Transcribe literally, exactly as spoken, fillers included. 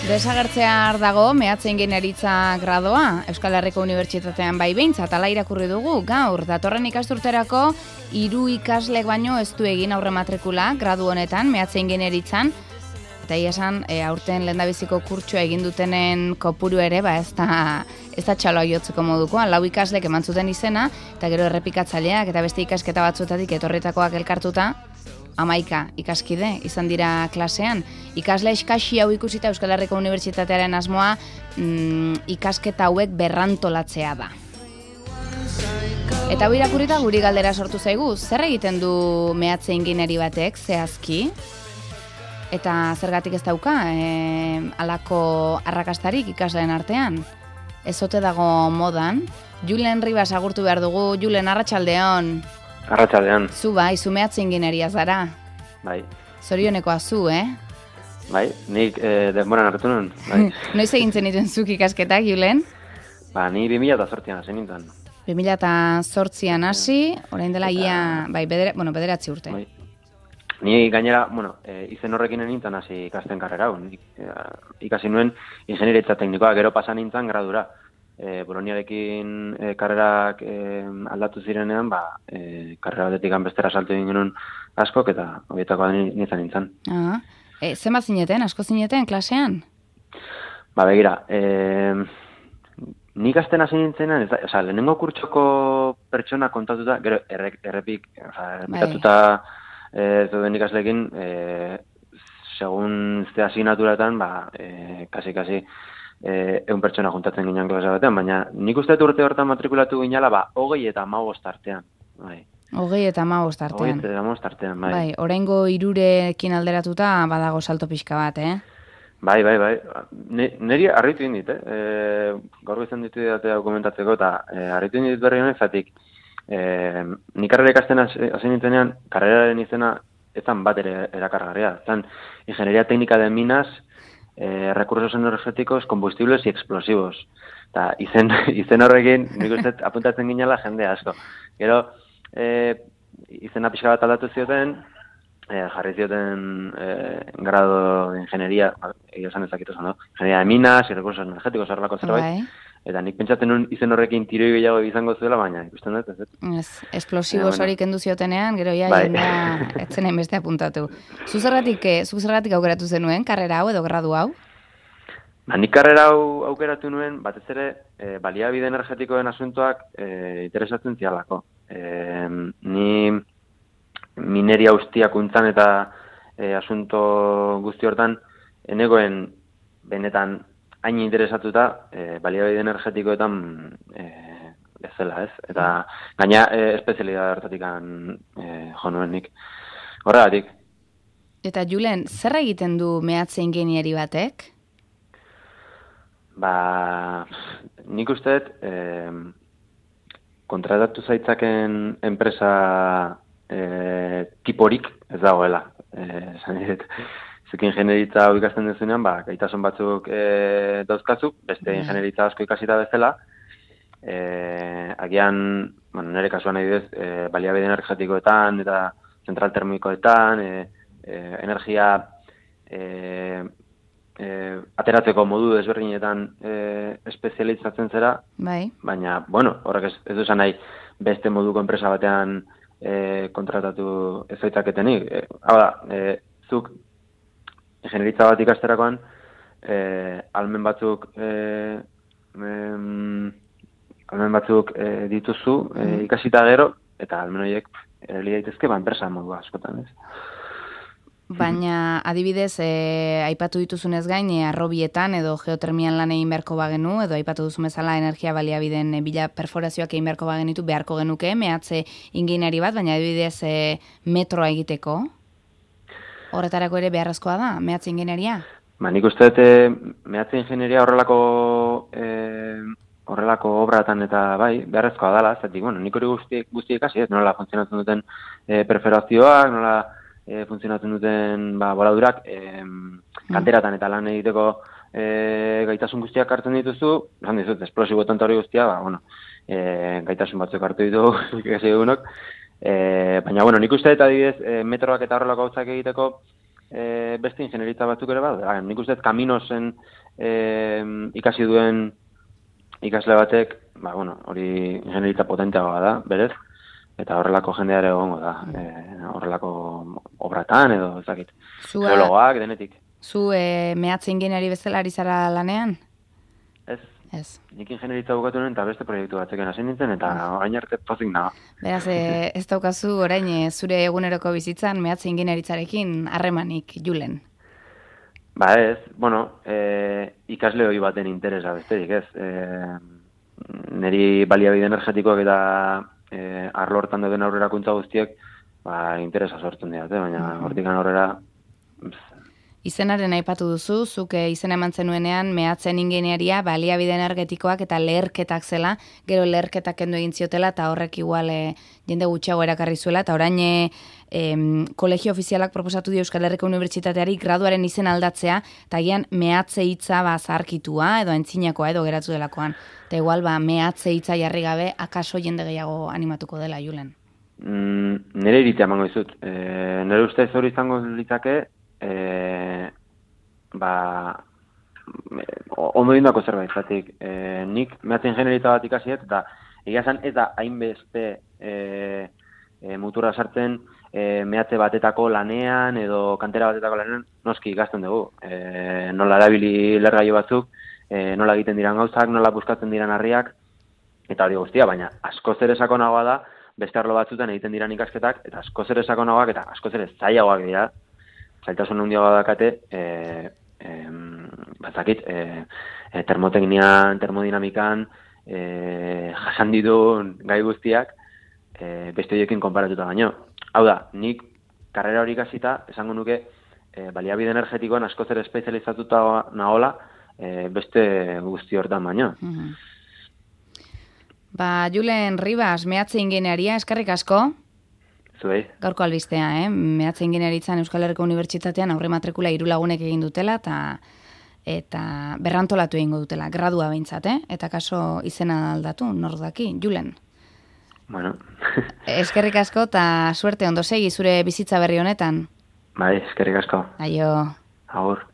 Desagertzear dago mehatze ingeniaritza gradoa Euskal Herriko Unibertsitatean bai behintzat ala irakurri dugu gaur datorren ikasturterako hiru ikaslek baino ez du egin aurre matrikula gradu honetan mehatze ingeniaritzan eta ia esan e, aurten lehendabiziko kurtsoa egin dutenen kopuru ere ba ez da ez da txaloa jotzeko modukoa lau ikaslek eman zuten izena eta gero errepikatzaileak eta beste ikasketa batzutatik etorritakoak elkartuta hamaika ikaskide izan dira klasean. Ikasle eskasi hau ikusita Euskal Herriko Unibertsitatearen asmoa mm, ikasketa hauek berrantolatzea da. Eta hau irakurrita guri galdera sortu zaigu, zer egiten du mehatze ingeniari batek zehazki? Eta zergatik ez dauka e, alako arrakastarik ikasleen artean? Ez ote dago modan? Julen Ribas agurtu behar dugu, Julen, arratsaldeon. Arratsaldean. Zu bai, zu mehatze ingenieria zara. Bai. Zorionekoa zu, eh? Bai, nik eh, denboran hartu nuen. Bai. Noiz egintzen dituen zuk ikasketak, Julen? Ba, ni bi mila zortzian hasi nintzen. bi mila zortzian hasi, orain dela ia, bai, bedera, bueno, bederatzi urte. Bai. Ni gainera, bueno, e, izen horrekin nintzen hasi ikasten karrera hau. E, ikasi nuen ingeniaritza teknikoa, gero pasa nintzen gradura. E, Boloniarekin e, karrerak e, aldatu zirenean, ba, e, karrera batetik bestera saltu egin genuen askok, eta horietakoa nintzen nintzen. Ah, e, zenba zineten, asko zineten, klasean? Ba, begira, e, nik azten hasi nintzenan, o sea, lehenengo kurtsoko pertsona kontatuta, gero errek, errepik, o sea, errepikatuta e, zeuden ikaslekin, e, segun ze asignaturatan, ba, e, kasi-kasi, egun pertsona juntatzen ginen klase batean, baina nik uste urte hortan matrikulatu ginala, ba, hogei eta hamabost artean. Bai. Hogei eta hamabost artean. Hogei eta hamabost artean, bai. Bai, oraingo hirurekin alderatuta badago salto pixka bat, eh? Bai, bai, bai. Neri harritu egin dit, eh? E, gaur izan ditu datea dokumentatzeko, eta e, harritu egin dit berri honek, zatik, e, nik karrera ikasten hasi nintzenean, karreraren izena ezan bat ere erakargarria. Ezan, ingeniería técnica de minas, Eh, recursos energéticos, combustibles y explosivos. Ta, izen, izen horrekin, nik uste apuntatzen ginela jende asko. Gero, eh, izena pixka bat aldatu zioten, eh, jarri zioten eh, grado de ingeniería, egia esan ezakitu zen, no? Ingeniería de minas y recursos energéticos, horrelako zerbait. Eta nik pentsatzen nun izen horrekin tiroi gehiago izango zuela, baina ikusten dut, ez dut. Ez, explosivos hori kendu ziotenean, gero ja, bai. Jendea etzen beste apuntatu. Zu zergatik, zu zergatik aukeratu zenuen, karrera hau edo gradu hau? Ba, nik karrera hau aukeratu nuen, batez ere, e, baliabide energetikoen asuntoak e, interesatzen zialako. E, ni mineria ustiakuntzan eta e, asunto guzti hortan, enegoen benetan hain interesatuta, e, baliabide energetikoetan e, ez zela, ez? Eta gaina e, espezialidad hartatik e, jo nuen nik. Horregatik. Eta Julen, zer egiten du mehatze ingeniari batek? Ba, nik usteet, e, kontratatu zaitzaken enpresa e, tiporik ez dagoela. E, Zuk ingenieritza hau ikasten duzunean, ba, gaitasun batzuk e, dauzkatzuk, beste mm. ingenieritza asko ikasita bezala, e, agian, bueno, nire kasuan nahi duz, e, baliabide energetikoetan eta zentral termikoetan, e, e, energia e, e, ateratzeko modu desberdinetan e, espezializatzen zera, bai. Baina, bueno, horrek ez, ez duzan nahi beste moduko enpresa batean e, kontratatu ez zaitzaketenik. E, hau da, e, zuk ingenieritza bat ikasterakoan, eh, almen batzuk, eh, em, almen batzuk eh, dituzu eh, ikasita gero, eta almen horiek erali daitezke ba enpresa modu askotan, ez? Baina, adibidez, eh, aipatu dituzunez gain, eh, arrobietan edo geotermian lan egin beharko bagenu, edo aipatu duzu bezala energia baliabideen eh, bila perforazioak egin beharko bagenitu beharko genuke, mehatze ingeniari bat, baina adibidez eh, metroa egiteko? Horretarako ere beharrezkoa da, mehatze ingenieria? Ba, nik uste dut mehatze ingenieria horrelako e, horrelako obratan eta bai, beharrezkoa dela, zatik, bueno, nik hori guztiek guzti ikasi, ez, nola funtzionatzen duten e, perforazioak, nola e, funtzionatzen duten ba, boladurak, e, kanteratan eta lan egiteko e, gaitasun guztiak hartzen dituzu, esan dizut, esplosiboetan hori guztia, ba, bueno, e, gaitasun batzuk hartu ditu ikasi egunok, E, baina, bueno, nik uste eta adibidez, e, metroak eta horrelako gauzak egiteko, e, beste ingenieritza batzuk ere badu. Ah, nik uste kaminosen e, ikasi duen ikasle batek, ba, bueno, hori ingenieritza potenteagoa da, berez, eta horrelako jendeare egongo da, e, horrelako obratan edo, ez dakit, geologoak, denetik. Zu e, mehatze ingeniari bezala ari zara lanean? Ez. Ez. Nik ingenieritza bukatu nuen eta beste proiektu batzeken hasi nintzen, eta orain arte pozik nago. Beraz, e, ez daukazu orain e, zure eguneroko bizitzan mehatze ingeniaritzarekin harremanik, Julen? Ba ez, bueno, e, ikasle hori baten interesa besterik, ez. E, neri baliabide energetikoak eta e, arlo hortan dauden aurrerakuntza guztiek ba, interesa sortzen dira, baina hortikan aurrera... Izenaren aipatu duzu, zuk izena eman zenuenean mehatzen ingeniaria baliabide energetikoak eta leherketak zela, gero leherketak kendu egin ziotela eta horrek igual e, jende gutxiago erakarri zuela, eta orain e, e, kolegio ofizialak proposatu dio Euskal Herriko Unibertsitateari graduaren izen aldatzea, eta gian mehatze hitza ba zarkitua edo entzinakoa edo geratu delakoan. Eta igual ba mehatze hitza jarri gabe akaso jende gehiago animatuko dela, Julen. Mm, nire iritea emango dizut. E, nire ustez hori izango litzake, E, ba, ondo dindako zerbait, zatik, e, nik mehatze ingenieritza bat ikasiet, eta egia zan ez da hainbeste e, e, mutura sartzen e, mehatze batetako lanean edo kantera batetako lanean noski ikasten dugu. E, nola erabili lergailu batzuk, e, nola egiten diran gauzak, nola buskatzen diran harriak, eta hori guztia, baina askoz ere sakonagoa da, beste arlo batzutan egiten diran ikasketak, eta askoz ere sakonagoak eta askoz ere zailagoak dira, zailtasun handia badakate, e, e, batzakit, e, e, termoteknian, termodinamikan, e, jasan ditun gai guztiak, e, beste horiekin konparatuta baino. Hau da, nik karrera hori ikasita, esango nuke, e, baliabide energetikoan askoz ere espezializatuta nagola, e, beste guzti hortan baino. Mm-hmm. Ba, Julen Ribas, mehatze ingeniaria, eskerrik asko. Zuei. Gaurko albistea, eh? Mehatze ingeniaritzan Euskal Herriko Unibertsitatean aurre matrikula hiru lagunek egin dutela eta eta berrantolatu egingo dutela, gradua behintzat, eh? Eta kaso izena aldatu, nor daki, Julen. Bueno. Eskerrik asko eta suerte ondo segi zure bizitza berri honetan. Bai, eskerrik asko. Aio. Agur.